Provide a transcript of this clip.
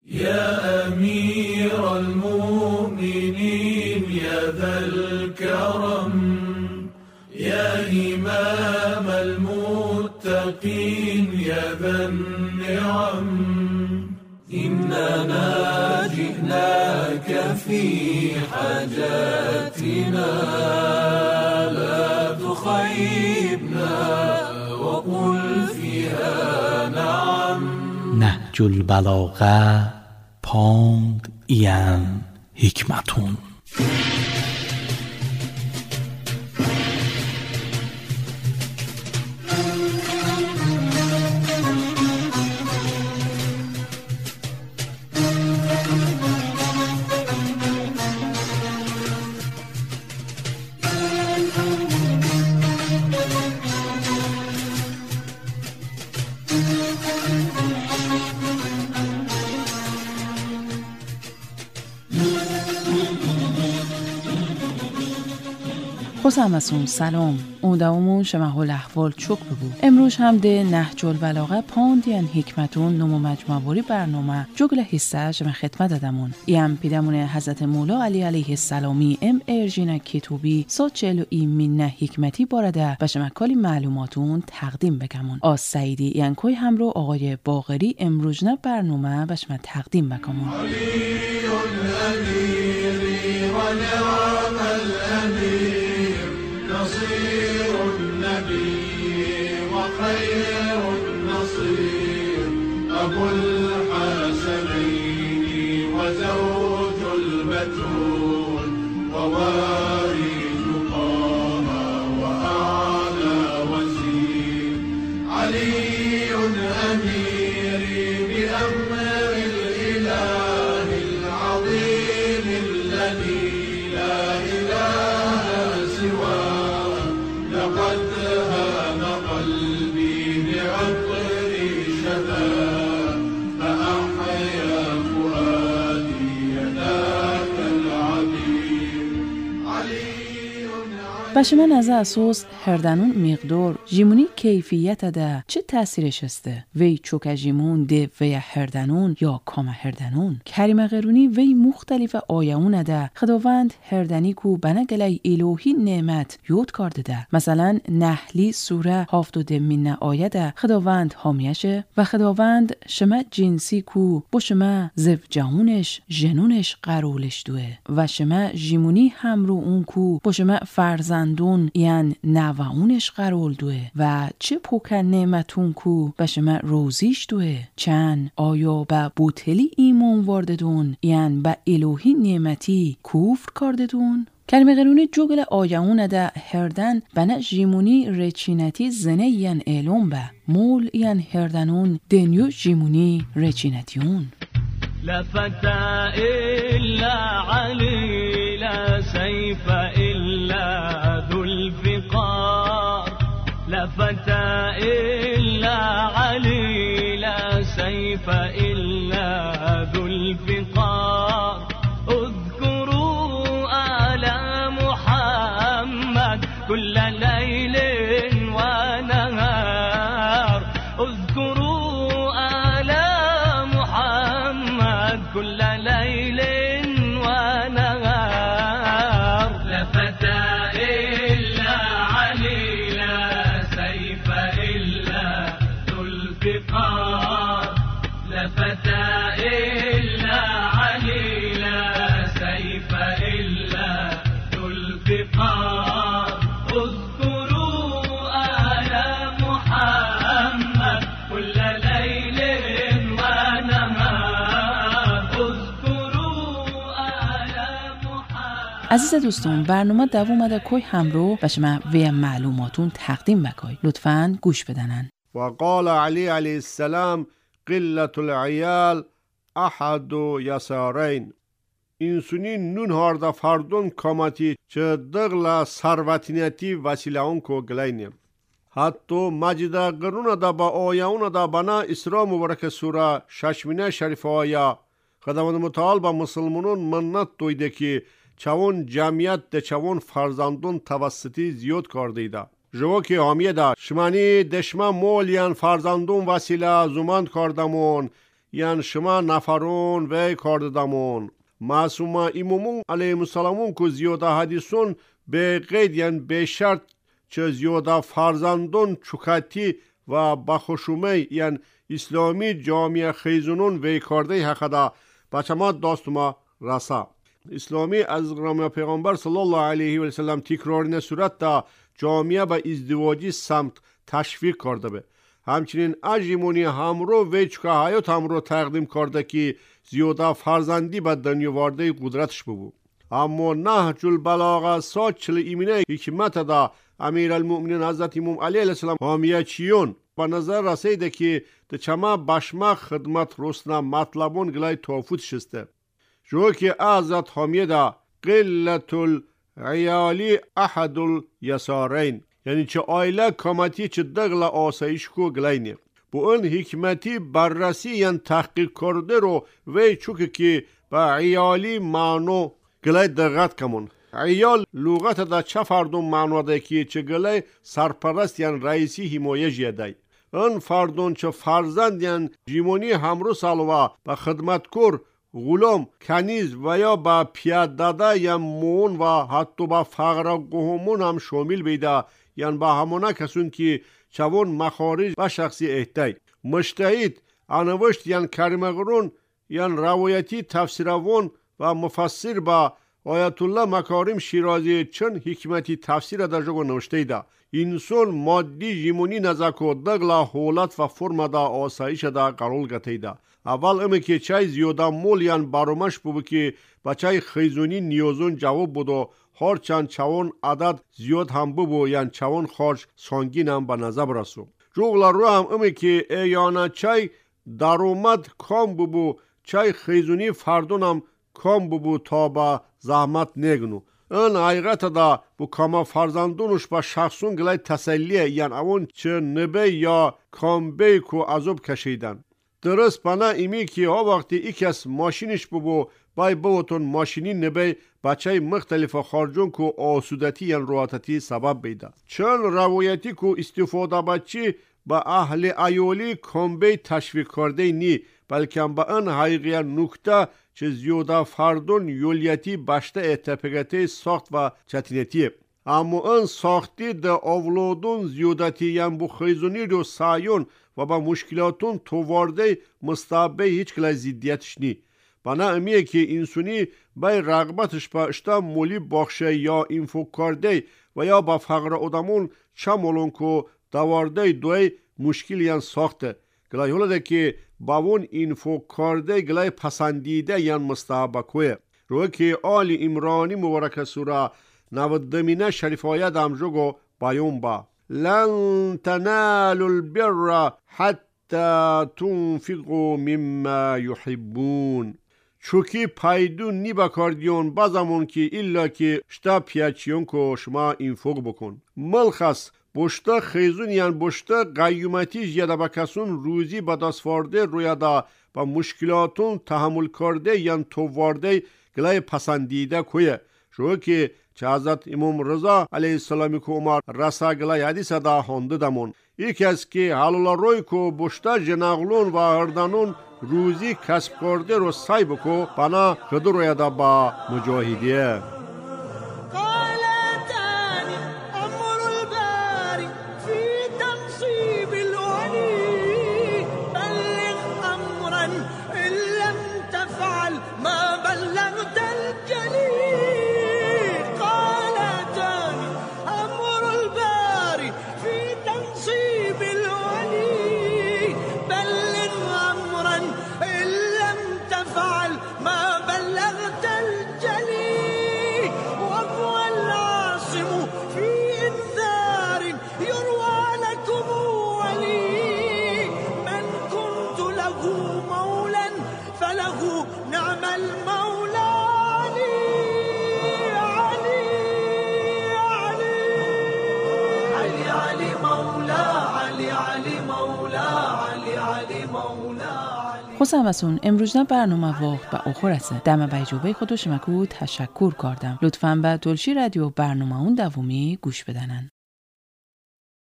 يا أمير المؤمنين يا ذا الكرم يا إمام المتقين يا ذا النعم إننا جئناك في حاجاتنا لا تخيبنا وقل فيها نعم. نهج البلاغه پاند ایان حکمتون. خوش سلام اودامون شمه الاحوال چوک بگو. امروز هم ده نهج البلاغه پاندین حکمتون نمو مجموعه برنامه جگل حصه شما خدمت دادمون. ایم پیدمون حضرت مولا علی علیه السلامی ام ارجینا کتوبی ساچلو ای منه حکمتی بارده و شما کلی معلوماتون تقدیم بکمون. آز سعیدی اینکوی هم رو آقای باقری امروز نه برنامه و شما تقدیم بکمون. نصير النبي وخير النصير أبو الحسنين وزوج البتول ووارث طه وأعلى وزير علي أميري بأمر الإله العظيم الذي لا إله سواه لقد هام قلبي بعطر شذا فأحيا فؤادي ذاك العبير علي. باشه من از اساس هردنون مقدار جیمونی کیفیت ده چه تاثیرش هسته؟ وی چوک جیمون ده وی هردنون یا کام هردنون؟ کریم قرونی وی مختلف آیه‌ون ده خداوند هردنی کو بنگلی الهی نعمت یود کرده ده. مثلا نحلی سوره 72 من آیه ده خداوند حامیشه و خداوند شما جنسی کو با شما زوجهونش جنونش قرولش دوه و شما جیمونی هم رو اون کو با شما فرزندون یعنی نوعونش قرول دوه و چه پوکن نعمتون کو و شما روزیش دوه. چند آیا به بوتلی ایمان وارددون یعنی به الهی نعمتی کفر کرددون؟ کلمه قرونی جوگل آیه‌ون ده هردن بنا جیمونی رچینتی زنه ین اعلام به مول ین هردنون دنیو جیمونی رچینتیون. لا فتى إلا علي لا سيف إلا ذو الفقار لا فتى إلا علي لا سيف إلا ذو الفقار اذكروا آل محمد كل ليل ونهار اذكروا آل محمد كل ليل ونهار لا فتى إلا علي لا سيف إلا ذو الفقار لا فتى إلا علي لا سيف إلا ذو الفقار اذكروا آل محمد كل ليل ونهار اذكروا آل محمد. عزیز دوستان برنامه دوام ده کوی همرو و شما وی معلوماتون تقدیم بکای. لطفاً گوش بدنن. وقال علی علیه السلام قلة العیال احد یسارین. اینسونی نون هاردا فردون کاماتی چه دغلا ثروتینتی وسیله کو گلینیم. حتی مجد قرون دا با آیه دا بنا اسراء مبارک سوره ششمینه شریف آیه خداوند متعال با مسلمانون منت دویده که چون جمعیت ده چون فرزندون توسطی زیاد کردیده. جوکی حامیه ده شمانی دشمن مولیان فرزندون وسیله زمان کردمون یعنی شما نفرون وی کارددامون معصومه امامون علیه السلامون که زیاده حدیثون به قید یعنی به شرط چه زیاده فرزندون چکاتی و بخشومه یعنی اسلامی جامعه خیزونون وی کارده حقدا بچما داستما رسا. اسلامی از غرام پیغمبر صلی الله علیه و سلم تکرار صورت دا جامعه به ازدواجی سمت تشویق کرده به. همچنین اجیمونی همرو وی چکا حیات همرو تقدیم کرده که زیاده فرزندی به دنیا وارده قدرتش ببو. اما نهج البلاغه ساچل ایمینه حکمت دا امیرالمؤمنین حضرت امام علی علیه السلام حامیه چیون با نظر رسیده که چما بشما خدمت رسنا مطلبون گلای توفوت شسته. جو که حضرت حامیه دا قلت العیالی احد الیسارین یعنی چه آیله کامتی چه دغل آسایش کو گلاینه. بو اون حکمتی بررسی یعنی تحقیق کرده رو وی چوک که با عیالی معنو گلای دقت کمون. عیال لغت دا چه فردون معنا ده که چه گلای سرپرست یعنی رئیسی حمایه جیدای. اون فردون چه فرزند یعنی جیمونی همرو سالوا با خدمتکار غلام کنیز و یا با پیاداده یا مون و حتی با فقر قهومون هم شامل بیده یعنی با همونا کسون که چوون مخارج و شخصی احتای. مجتهد انوشت یعنی کریمغرون یعنی روایتی تفسیروان و مفسر با آیت الله مکارم شیرازی چند حکمتی تفسیر در جگو نوشته ده. انسان مادی جیمونی نزاکو دغلا حالت و فرم دا آسایش دا قرار گتی ده. اول امی که چای زیاده مول یعنی برامش بو که بچای خیزونی نیازون جواب بودو هرچند چوان عدد زیاد هم بو یعنی چوان خارج سانگین هم به نظر برسو. جغلا رو هم امی که ایانا چای درآمد کام بو چای خیزونی فردون هم کام بو تا با زحمت نگنو. این حقیقت دا bu kama farzandunuş ba şahsun gılay təsəlliyə yəni avun çı nebe ya kambey ku azab keşeyden. درست bana imi ki o vakti ikes maşiniş bu bay bavotun maşini nebe بچه مختلف خارجون کو آسودتی یعنی راحتی سبب بیده. چون روایتی کو استفاده بچی با اهل ایولی کامبی تشویق کرده نی بلکه با این حقیقی نکته چه زیاده فردون یولیتی بشته اتفاقاتی ساخت و چتینتی. اما این ساختی ده اولادون زیادتی یعنی بو خیزونی رو سایون و با مشکلاتون توارده مستعبه هیچ کلا زیدیتش نی. بنا امیه که انسانی بای رغبتش با اشتا مولی باخشه یا اینفو کرده و یا با فقر آدمون چم olun که دوارده دوی مشکل یعنی ساخته. گلای حالا ده که باون اینفو کرده گلای پسندیده یعنی مستحبه کوه. روی که آل امرانی مبارک سوره 90 شریف آیت هم جگو بیان با لن تنالوا البر حتی تنفقوا مما يحبون. چوکی پایدون نی بکاردیون بازمون که ایلا که شتا پیاچیون که شما اینفوق بکن. ملخص بشتا خیزون یعنی بشتا قیومتی یادا بکسون روزی بداسفارده رویادا با مشکلاتون تحمل کرده یعنی توارده گلای پسندیده کویه. شو که چه حضرت امام رضا علیه السلام که عمر رسا گلای حدیث دا هانده دمون. ایک از که حلال روی که بشتا جناغلون و هردانون روزی کسب کرده رو سعی بکو بنا خود رویادا با مجاهدیه. خوشم امروز برنامه وقت به آخر است. دم به خودش مکو تشکر کردم. لطفاً به دلشی رادیو برنامه اون دومی گوش بدنن.